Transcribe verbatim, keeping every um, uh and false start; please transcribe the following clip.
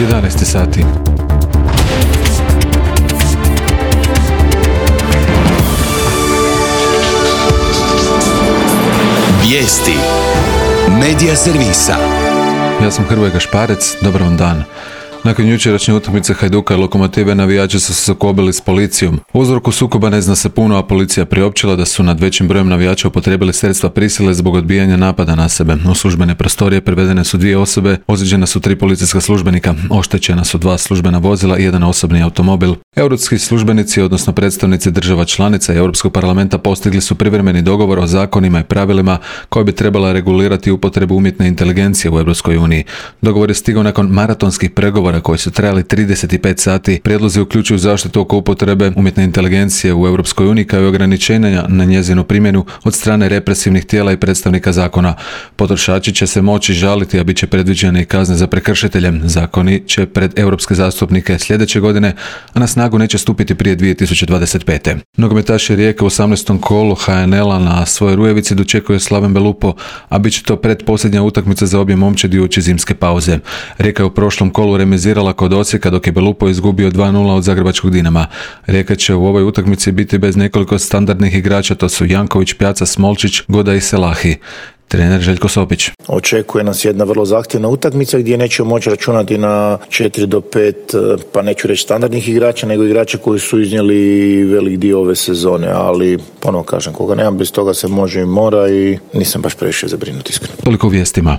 jedanaest sati. Vijesti Medija servisa. Ja sam Hrvoje Gašparec, dobar vam dan. Nakon jučerašnje utakmice Hajduka i Lokomotive navijači su se sukobili s policijom. O uzroku sukoba ne zna se puno, a policija priopćila da su nad većim brojem navijača upotrijebili sredstva prisile zbog odbijanja napada na sebe. U službene prostorije privedene su dvije osobe, ozlijeđena su tri policijska službenika, oštećena su dva službena vozila i jedan osobni automobil. Europski službenici, odnosno predstavnici država članica i Europskog parlamenta postigli su privremeni dogovor o zakonima i pravilima koji bi trebala regulirati upotrebu umjetne inteligencije u Europskoj uniji. Dogovor je stigao nakon maratonskih pregovora koji su trajali trideset pet sati. Prijedlozi uključuju zaštitu oko upotrebe umjetne inteligencije u Europskoj uniji kao i ograničenja na njezinu primjenu od strane represivnih tijela i predstavnika zakona. Potrošači će se moći žaliti, a bit će predviđene i kazne za prekršitelje. Zakoni će pred europske zastupnike sljedeće godine, a na snagu neće stupiti prije dvije tisuće dvadeset pete. Nogometaši Rijeke u osamnaestom kolu ha en el-a na svojoj Rujevici dočekuje Slaven Belupo, a bit će to pretposljednja utakmica za obje momčadi uoči zimske pauze. Rijeka je u prošlom kolu remizirala kod Osijeka, dok je Belupo izgubio dva nula od Zagrebačkog Dinama. Rijeka će u ovoj utakmici biti bez nekoliko standardnih igrača, to su Janković, Pjaca, Smolčić, Goda i Selahi. Trener Željko Sopić. Očekuje nas jedna vrlo zahtjevna utakmica gdje nećemo moći računati na četiri do pet, pa neću reći standardnih igrača, nego igrača koji su iznijeli velik dio ove sezone, ali ponovno kažem, koga nemam, bez toga se može i mora i nisam baš previše zabrinut, iskreno. Toliko u vijestima.